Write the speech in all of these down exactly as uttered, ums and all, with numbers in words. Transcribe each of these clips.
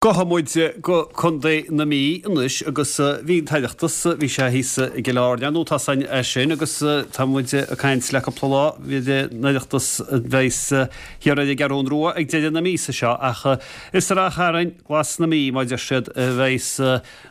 Gabhfaidh muid go Contae na Mí anois agus bhí an tOireachtas, bhí sé thíos i gCill Airne nó tá san é sin agus tá muid ag caint le cúpla lá bhí an Oireachtas a bheas thiar ar an gCeathrú Rua ag deireadh na míosa seo ach is i Ráth Chairn Glas na Mí mar a deir siad a bheas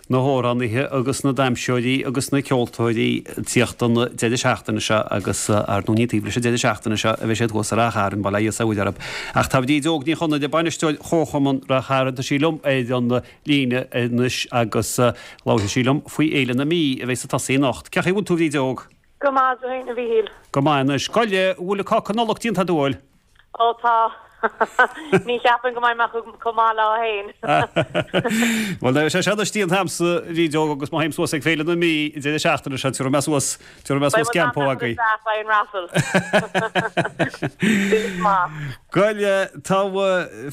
na hamhránaithe agus na damhsóirí agus na ceoltóirí ag tíocht an deireadh seachtaine seo agus ar ndóigh ní taobh leis an deireadh seachtaine seo a bheidh siad thuas i Ráth Chairn, bail ó Dhia is ó Mhuire orthu. Ach tá Bríd Óg Ní Chonaire, bainisteoir Chomharchumann Ráth Chairn, tá sí liom ar an líne anois agus labharfaidh sí liom faoi Fhéile na Mí a bheidh ag tosaí anocht. Cén chaoi a bhfuil tú Bhríd Óg? Go maith, a Mhíchíl. Go maith anois. Gabh i leith, an bhfuil an cáca Nollag déanta agat an bhfuil? Ó tá. Ní cheapaim go mbeidh mé chomh maith leo féin. Bhuel, beidh sé seo anois déanta agamsa, a Bhríd Óg, agus má théim suas ag Féile na Mí an deireadh seachtaine seo, tabharfaidh mé suas, tabharfaidh mé suas geampó agaibh. Beidh an raffle. Maith. Gabh i leith, tá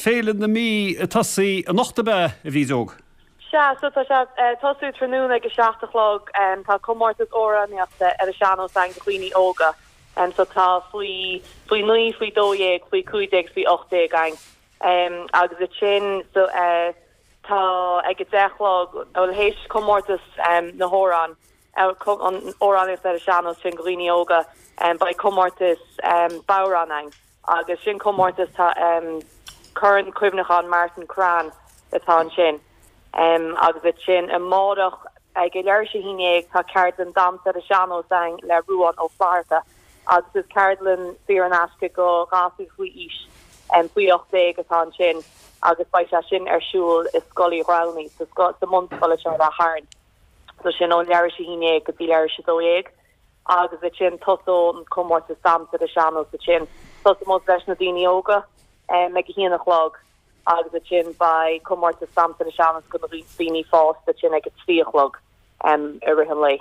Féile na Mí ag tosaí anocht ab ea, a Bhríd Óg? Sea, so tá sé ag tosú tráthnóna ag a seacht a chlog. Tá comórtas amhránaíochta ar an sean-nós againn do dhaoine óga. Um, so tá faoi faoi naoi, faoi dó dhéag, faoi cúig déag, faoi ocht déag againn. Um, agus ansin so, uh, tá ag a deich a chlog bhuel théis comórtas um, na hamhrán an amhránaíocht ar an sean-nós sin do dhaoine óga um, beidh comórtas um, bodhrán againn agus sin comórtas tá um, Corn Cuimhneacháin Martin Cran atá ansin. Um, agus ansin amárach ag a leathuair tar éis a haon déag tá ceardlann damhsa ar an sean-nós againn le Ruán Ó Flatharta agus is ceardlann saor in aisce do ghasúir faoi aois um, faoi ocht déag atá ansin agus beidh sé sin ar siúl i Scoil Uí Ghramhnaigh sa sa mbunscoil seo Ráth Chairn. So sin ón leathuair tar éis a haon déag go dtí leathuair tar éis a dó dhéag agus ansin tosóidh an comórtas damhsa ar an sean-nós ansin. Tosóidh leis na daoine óga um, ag a haon a chlog agus ansin beidh comórtas damhsa ar an sean-nós do na daoine fásta sin ag a trí a chlog um, i rith an lae.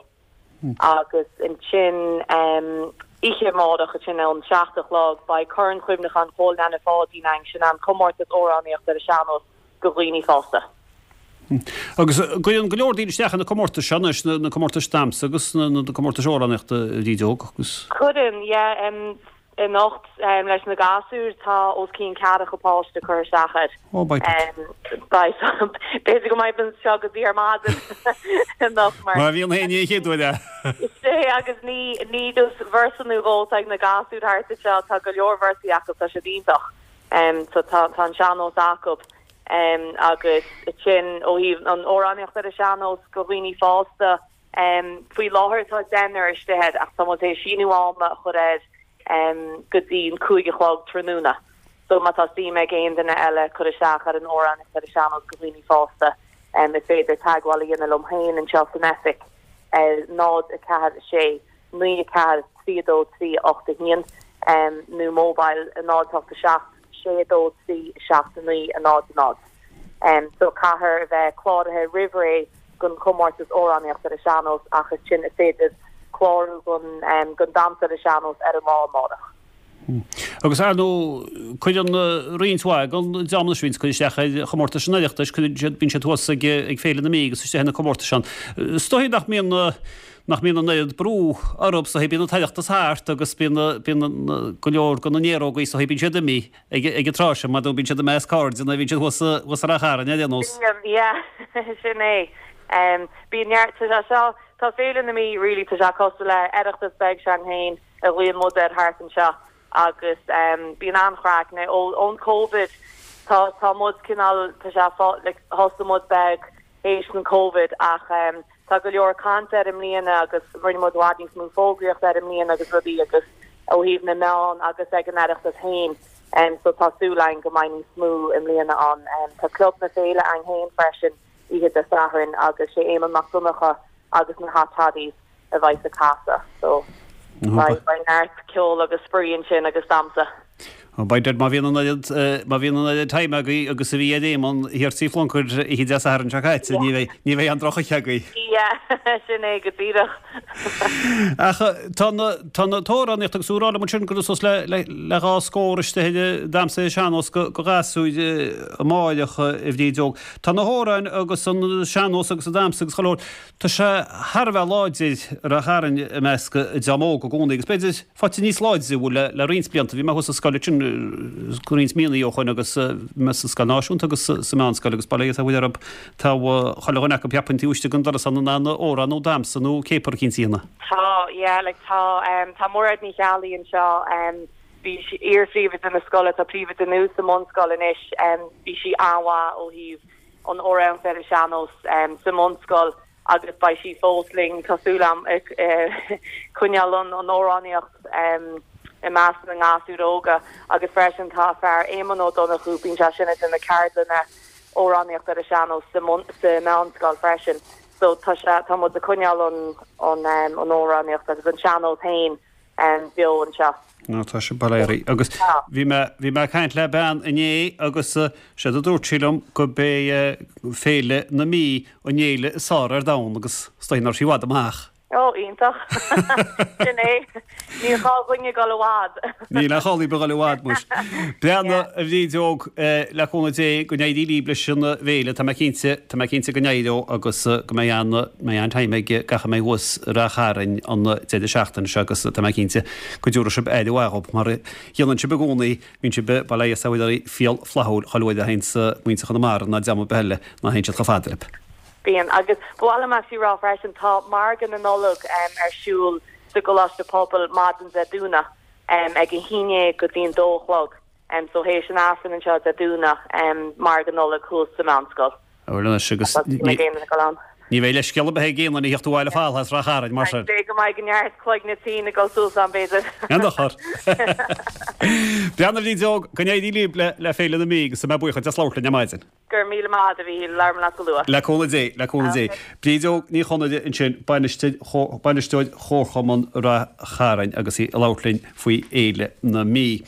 Agus ansin um, oíche amárach sin ón seacht a chlog beidh Corn Cuimhneacháin Chóil Nana Pháidín againn sin an comórtas amhránaíocht ar an sean-nós do dhaoine fásta. Agus cuireann go leor daoine isteach na comórtais seo anois na comórtais damhsa agus na na comórtais amhránaíochta a Bhríd Óg agus. Cuireann yeah, um, anocht um, leis na gasúir tá os cionn ceathracha páiste curtha isteach air. Ó B'fhéidir go mbeidh seo go dtí ar maidin anocht mar. Má bhíonn haon ní chéad uair Sé agus ní ní just véarsa nó dhó ag na gasúir thart seo tá go leor véarsaí acu tá sé iontach. Um, so tá tá an sean-nós acu. Um, agus sin ó thaobh an amhránaíocht ar an sean-nós do dhaoine fásta um, faoi láthair tá deichniúr istigh ach tá é síneadh ama a chur air um, go dtí an cúig a chlog tráthnóna. So má tá suim ag aon duine eile cur isteach ar an amhránaíocht ar an sean-nós do dhaoine fásta um, is féidir teagmháil a dhéanamh liom féin anseo san oifig ar náid a ceathair sé naoi a ceathair trí dó trí ocht a haon um, nó mobile a náid ocht a seacht sé dó trí seacht naoi a náid a náid. Um, so caithfear a bheith cláraithe roimh ré don chomórtas amhránaíocht ar an sean-nós ach ansin is féidir clárú don um, don damhsa ar an sean-nós ar an lá amárach. Agus ar ndóigh cuireann roinnt mhaith den dream anois bhíonns ag cur isteach ar chomórtais an Oireachtais, cuireann siad bíonn siad thuas ag ag Féile na Mí agus istigh na comórtais ann. Is dóigh nach mbíonn nach mbíonn an oiread brú orthu is dóigh bíonn an tOireachtas thart agus bíonn bíonn go leor de na néarógaí is dóigh bíonn siad imithe ag ag an tráth sin mar bíonn siad i measc cairde nó bíonn siad thuas thuas ar Ráth Chairn ar aon nós. Yeah, sin é. Um, bíonn neart tá seo tá Féile na Mí really tá sé cosúil le Oireachtas beag s'againn féin a ghlaonn muid air thart anseo agus um, bíonn an-chraic na ón COVID tá tá muid cineál tá sé like, thosaigh muid beag théis an COVID ach um, tá go leor caint ar i mbliana agus rinne muid i bhfad níos mó fógraíocht ar i mbliana agus rudaí agus ó thaobh na meán agus ag an Oireachtas féin. Um, so tá súil againn go mbeidh níos mó i mbliana an um, tá club na féile againn féin freisin oíche Dé Sathairn agus sé Éamonn Mac Donncha agus na Hot Toddies a bheidh ag casadh so beidh beidh neart ceol agus spraoi ansin agus damhsa. Beidh má bhíonn an oiread má bhíonn an oiread time agaibh agus a bhí ag Éamonn thiar Tí Phluncair oíche Dé Sathairn seo caite, ní bheidh ní bheidh an drochoíche agaibh. Yeah, sin é go díreach. Ach tá na tá na t-amhránaíocht agus úráil mun sin go sos le le le dhá scór istigh damhsa sean-nós do do ghasúir amárach a Bhríd Óg. Tá na hamhráin agus an sean-nós agus an damhsa agus chuile shórt Tá sé thar a bheith láidir i Ráth Chairn i measc an dream óg i gcónaí agus b'fhéidir faighte níos láidre bhfuil le le roinnt blianta. Bhí mé thuas sa scoil sin roinnt míonna ó shoin agus bhí mé sa scoil náisiúnta agus sa meánscoil agus bail ó Dhia is ar Mhuire orthu tá chuile dhuine acu cheapfainn taobh istigh den doras san in ann amhrán nó damhsa nó céapar eicínt a dhéanamh. Tá, yeah, like tá tá Mairéad Ní Cheallaigh anseo, bhí sí iar-phríomhoide na scoile, tá príomhoide nua sa mbunscoil anois, bhí sí an-mhaith ó thaobh an amhránaíocht ar an sean-nós sa mbunscoil agus beidh sí fós linn, tá súil agam, ag coinneáil an amhránaíocht i measc na ngasúr óga agus freisin tá fear Éamonn Ó Donnchú, bíonn sé sin ag déanamh ceardlanna amhránaíocht ar an sean-nós sa meánscoil freisin. So tá sé, tá muid ag coinneáil an an an amhránaíocht agus an sean-nós féin beo anseo. Nó tá sé bail agus bhí mé bhí mé ag caint le bean inné agus séard a dúirt sí liom go b'é Féile na Mí an fhéile is fearr ar domhan agus is dóigh nach raibh sí i bhfad amach. Ó, iontach. Sin é. Níl gá dhúinne dul i bhfad. Níl aon chall daoibh a dhul i bhfad, muis. Breathnaigh, a Bhrídeog, le cúnamh Dé go n-éirí libh leis an bhféile. Tá mé cinnte, tá mé cinnte go n-éireoidh agus go mbeidh an, mbeidh an-time ag gach a mbeidh thuas i Rath Chairn an deireadh seachtaine seo agus tá mé cinnte go dtabharfaidh sibh aire mhaith dhób mar a dhéanann sibh i gcónaí, bíonn sibh, bail ó Dhia is ar Mhuire oraibh, fial flaithiúil chuile uair a théanns muintir Chonamara ná dream ar bith eile ná théann siad chomh fada libh. Bíonn, agus ba mhaith liom actually rá freisin, tá Margadh na Nollag ar siúl sa gColáiste Pobail maidin Dé Domhnaigh ag a haon déag go dtí an dó a chlog. So théis an Aifrinn anseo Dé Domhnaigh, Margadh Nollag thuas sa Mheánscoil. Bhuel anois agus ní bheidh leithscéal ar bith ag aon duine a theacht abhaile thall as Rath Chairn mar sin. B'fhéidir go mbeidh neart cloigne tinn ag dul suas ann b'fhéidir. Aon dochar. Breathnaigh a Bhrídeog, go n-éirí libh le Féile na Mí agus tá mé buíoch duit as labhairt linn ar maidin. Go raibh míle maith agat a Mhíchíl, labhróidh mé leat go luath. Le cúnamh Dé, le cúnamh Dé. Brídeog Ní Chonaire ansin, bainisteoir Chomharchumann Rath Chairn agus í ag labhairt linn faoi Fhéile na Mí.